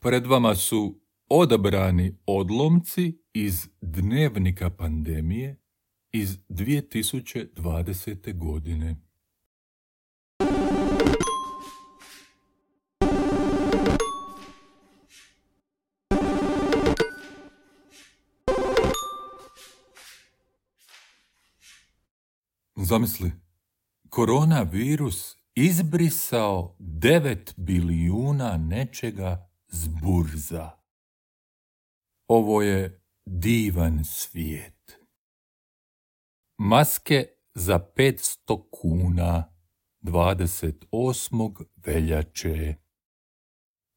Pred vama su odabrani odlomci iz dnevnika pandemije iz 2020. godine. Zamisli, koronavirus izbrisao 9 bilijuna nečega s burza. Ovo je divan svijet. Maske za 500 kuna 28. veljače.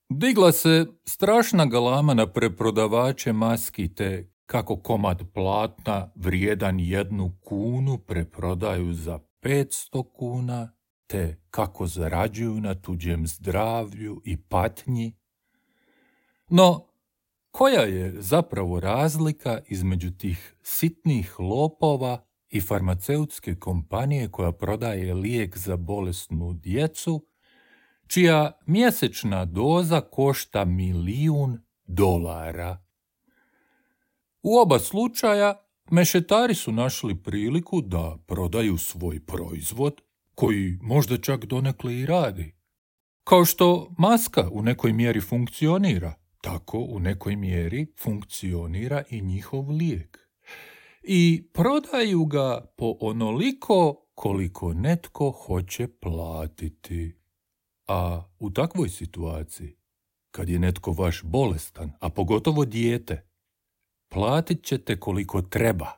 Digla se strašna galama na preprodavače maski te kako komad platna vrijedan 1 kunu preprodaju za 500 kuna, te kako zarađuju na tuđem zdravlju i patnji. No, koja je zapravo razlika između tih sitnih lopova i farmaceutske kompanije koja prodaje lijek za bolesnu djecu, čija mjesečna doza košta $1.000.000? U oba slučaja mešetari su našli priliku da prodaju svoj proizvod, koji možda čak donekle i radi. Kao što maska u nekoj mjeri funkcionira, tako u nekoj mjeri funkcionira i njihov lijek. I prodaju ga po onoliko koliko netko hoće platiti. A u takvoj situaciji, kad je netko vaš bolestan, a pogotovo dijete, platit ćete koliko treba.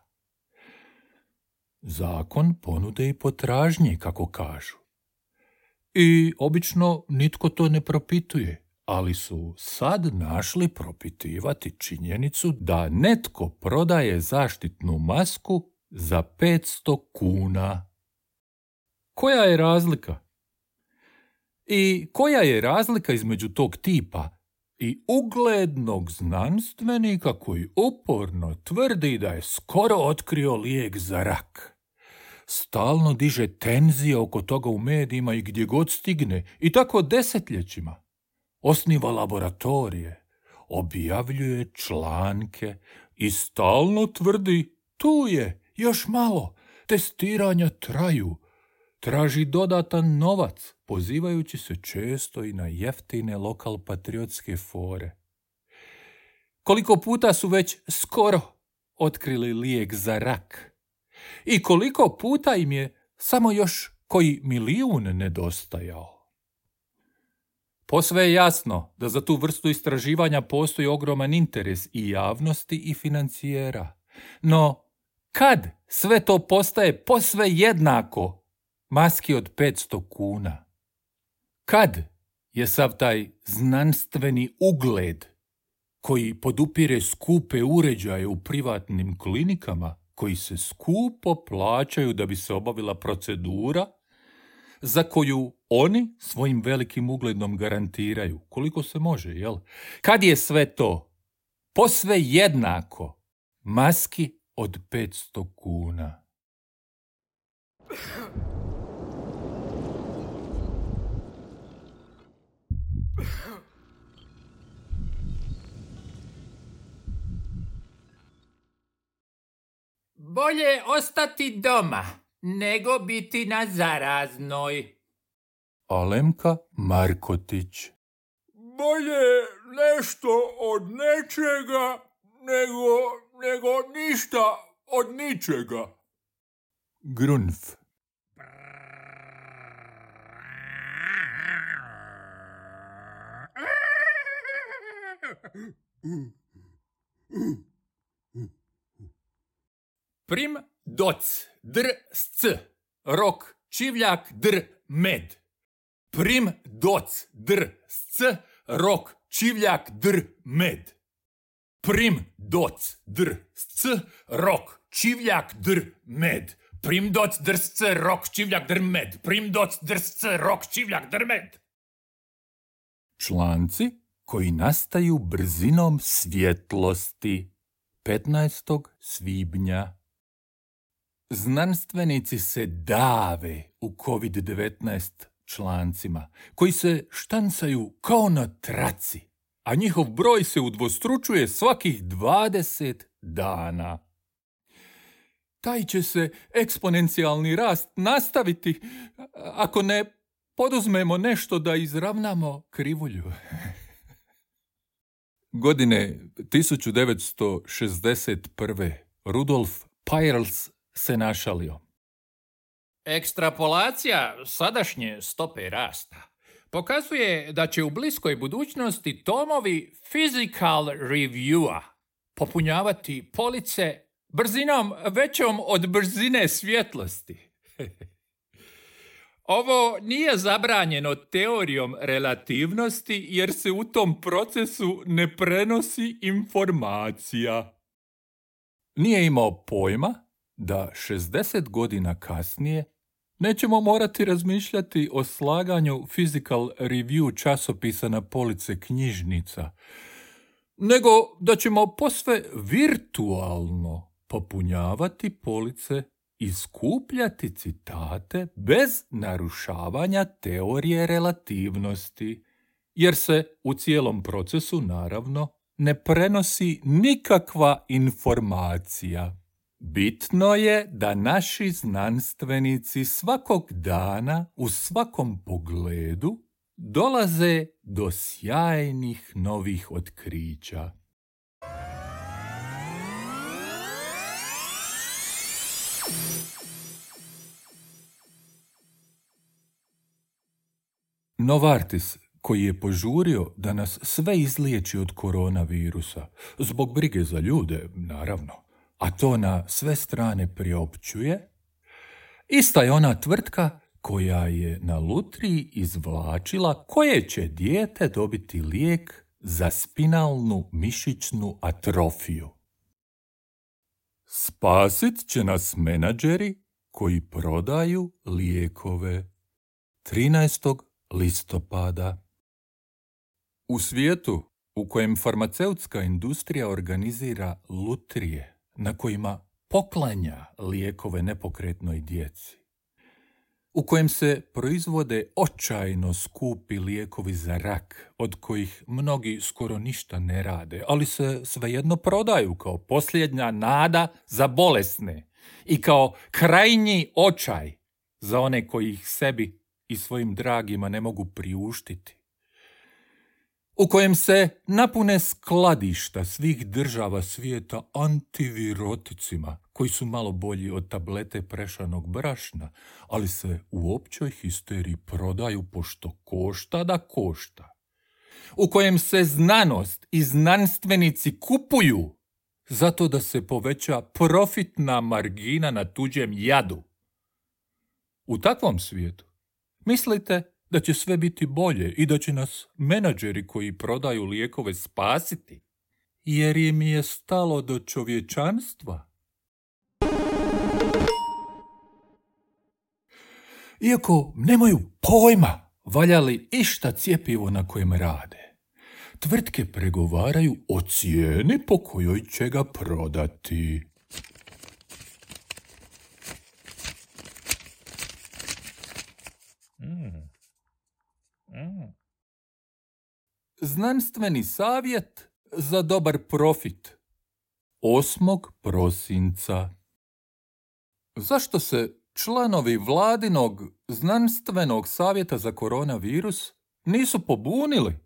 Zakon ponude i potražnje, kako kažu. I obično nitko to ne propituje, ali su sad našli propitivati činjenicu da netko prodaje zaštitnu masku za 500 kuna. Koja je razlika? I koja je razlika između tog tipa i uglednog znanstvenika koji uporno tvrdi da je skoro otkrio lijek za rak? Stalno diže tenzije oko toga u medijima i gdje god stigne, i tako desetljećima. Osniva laboratorije, objavljuje članke i stalno tvrdi: tu je, još malo, testiranja traju. Traži dodatan novac, pozivajući se često i na jeftine lokal-patriotske fore. Koliko puta su već skoro otkrili lijek za rak? I koliko puta im je samo još koji 1.000.000 nedostajao? Posve je jasno da za tu vrstu istraživanja postoji ogroman interes i javnosti i financijera. No, kad sve to postaje posve jednako maski od 500 kuna? Kad je sav taj znanstveni ugled koji podupire skupe uređaje u privatnim klinikama, koji se skupo plaćaju da bi se obavila procedura, za koju oni svojim velikim ugledom garantiraju, koliko se može, jel? Kad je sve to posve jednako maski od 500 kuna? Bolje ostati doma nego biti na zaraznoj. Alemka Markotić. Bolje nešto od nečega nego ništa od ničega. Grunf. Prim doc dr sc rok čivljak dr med. Prim doc dr sc rok čivljak dr med. Prim doc dr sc rok čivljak dr med. Prim doc dr sc rok čivljak dr med. Prim doc dr sc rok čivljak dr med. Članci koji nastaju brzinom svjetlosti. 15. svibnja. Znanstvenici se dave u COVID-19 člancima, koji se štancaju kao na traci, a njihov broj se udvostručuje svakih 20 dana. Taj će se eksponencijalni rast nastaviti ako ne poduzmemo nešto da izravnamo krivulju. Godine 1961. Rudolf Peierls se našalio. Ekstrapolacija sadašnje stope rasta pokazuje da će u bliskoj budućnosti tomovi Physical Reviewa popunjavati police brzinom većom od brzine svjetlosti. Ovo nije zabranjeno teorijom relativnosti jer se u tom procesu ne prenosi informacija. Nije imao pojma da 60 godina kasnije nećemo morati razmišljati o slaganju Physical Review časopisa na police knjižnica, nego da ćemo posve virtualno popunjavati police i skupljati citate bez narušavanja teorije relativnosti, jer se u cijelom procesu, naravno, ne prenosi nikakva informacija. Bitno je da naši znanstvenici svakog dana u svakom pogledu dolaze do sjajnih novih otkrića. Novartis, koji je požurio da nas sve izliječi od koronavirusa, zbog brige za ljude, naravno, a to na sve strane priopćuje, ista je ona tvrtka koja je na lutriji izvlačila koje će dijete dobiti lijek za spinalnu mišićnu atrofiju. Spasit će nas menadžeri koji prodaju lijekove. 13. listopada. U svijetu u kojem farmaceutska industrija organizira lutrije na kojima poklanja lijekove nepokretnoj djeci, u kojem se proizvode očajno skupi lijekovi za rak, od kojih mnogi skoro ništa ne rade, ali se svejedno prodaju kao posljednja nada za bolesne i kao krajnji očaj za one koji ih sebi i svojim dragima ne mogu priuštiti, u kojem se napune skladišta svih država svijeta antiviroticima, koji su malo bolji od tablete prešanog brašna, ali se u općoj histeriji prodaju pošto košta da košta, u kojem se znanost i znanstvenici kupuju zato da se poveća profitna margina na tuđem jadu. U takvom svijetu mislite da će sve biti bolje i da će nas menadžeri koji prodaju lijekove spasiti, jer im je stalo do čovječanstva? Iako nemaju pojma valja li išta cjepivo na kojem rade, tvrtke pregovaraju o cijeni po kojoj će ga prodati. Znanstveni savjet za dobar profit. 8. prosinca. Zašto se članovi vladinog znanstvenog savjeta za koronavirus nisu pobunili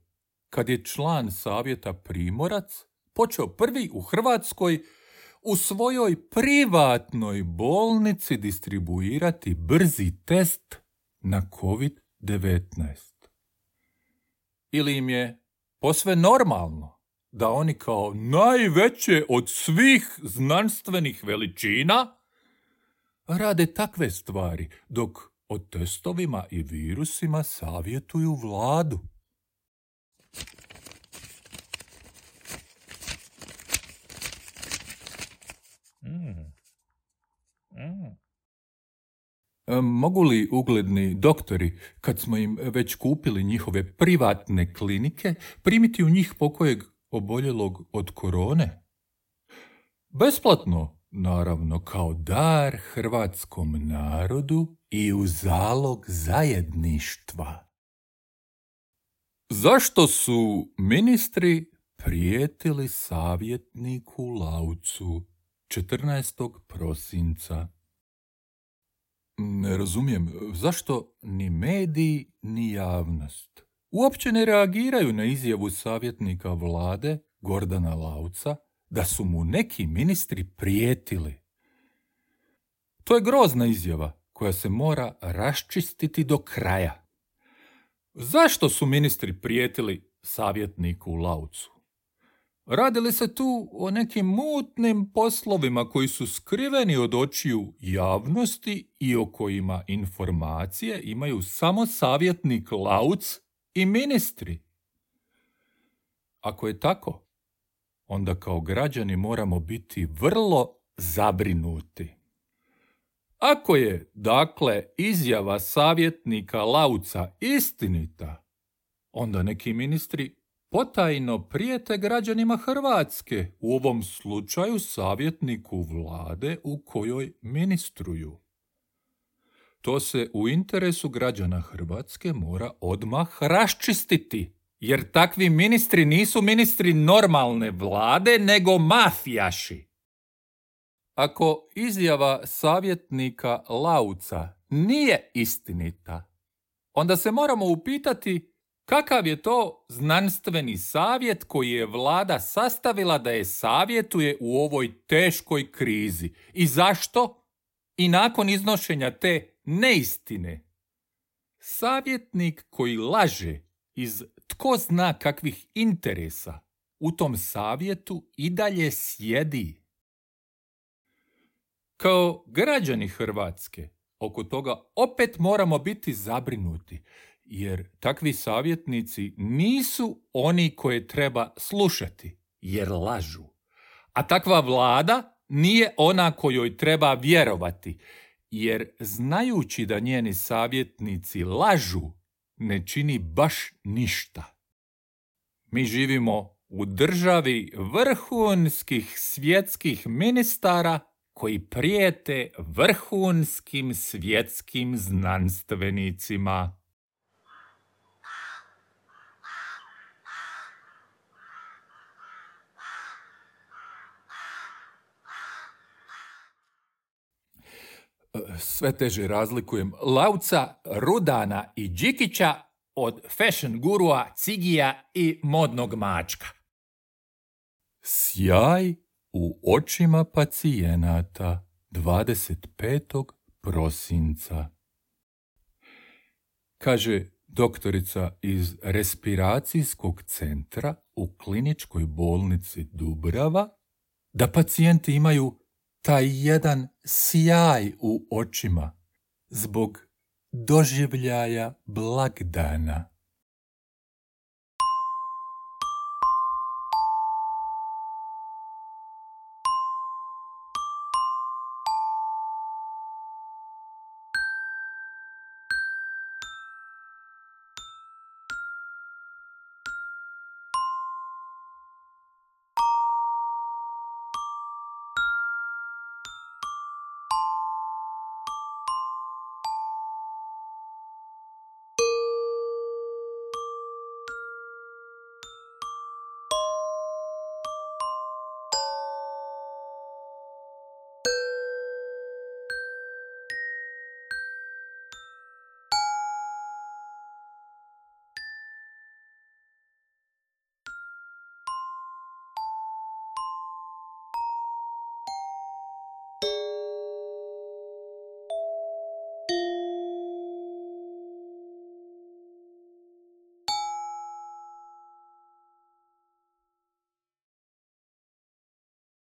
kad je član savjeta Primorac počeo prvi u Hrvatskoj u svojoj privatnoj bolnici distribuirati brzi test na COVID-19? Ili im je posve normalno da oni kao najveće od svih znanstvenih veličina rade takve stvari, dok o testovima i virusima savjetuju vladu? Mogu li ugledni doktori, kad smo im već kupili njihove privatne klinike, primiti u njih pokojeg oboljelog od korone? Besplatno, naravno, kao dar hrvatskom narodu i u zalog zajedništva. Zašto su ministri prijetili savjetniku Laucu 14. prosinca? Ne razumijem, zašto ni mediji ni javnost uopće ne reagiraju na izjavu savjetnika vlade Gordana Lauca da su mu neki ministri prijetili? To je grozna izjava koja se mora raščistiti do kraja. Zašto su ministri prijetili savjetniku Laucu? Radi li se tu o nekim mutnim poslovima koji su skriveni od očiju javnosti i o kojima informacije imaju samo savjetnik Lauc i ministri? Ako je tako, onda kao građani moramo biti vrlo zabrinuti. Ako je, dakle, izjava savjetnika Lauca istinita, onda neki ministri potajno prijete građanima Hrvatske, u ovom slučaju savjetniku vlade u kojoj ministruju. To se u interesu građana Hrvatske mora odmah raščistiti, jer takvi ministri nisu ministri normalne vlade, nego mafijaši. Ako izjava savjetnika Lauca nije istinita, onda se moramo upitati kakav je to znanstveni savjet koji je vlada sastavila da je savjetuje u ovoj teškoj krizi i zašto i nakon iznošenja te neistine savjetnik koji laže iz tko zna kakvih interesa u tom savjetu i dalje sjedi. Kao građani Hrvatske oko toga opet moramo biti zabrinuti, jer takvi savjetnici nisu oni koje treba slušati, jer lažu. A takva vlada nije ona kojoj treba vjerovati, jer znajući da njeni savjetnici lažu, ne čini baš ništa. Mi živimo u državi vrhunskih svjetskih ministara koji prijete vrhunskim svjetskim znanstvenicima. Sve teže razlikujem Lauca, Rudana i Đikića od fashion gurua, cigija i modnog mačka. Sjaj u očima pacijenata 25. prosinca. Kaže doktorica iz respiracijskog centra u kliničkoj bolnici Dubrava da pacijenti imaju taj jedan sjaj u očima zbog doživljaja blagdana.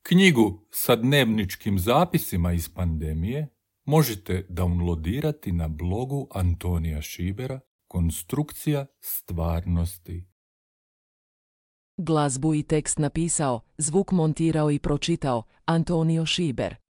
Knjigu sa dnevničkim zapisima iz pandemije možete downloadirati na blogu Antonija Šibera Konstrukcija stvarnosti. Glazbu i tekst napisao, zvuk montirao i pročitao Antonio Šiber.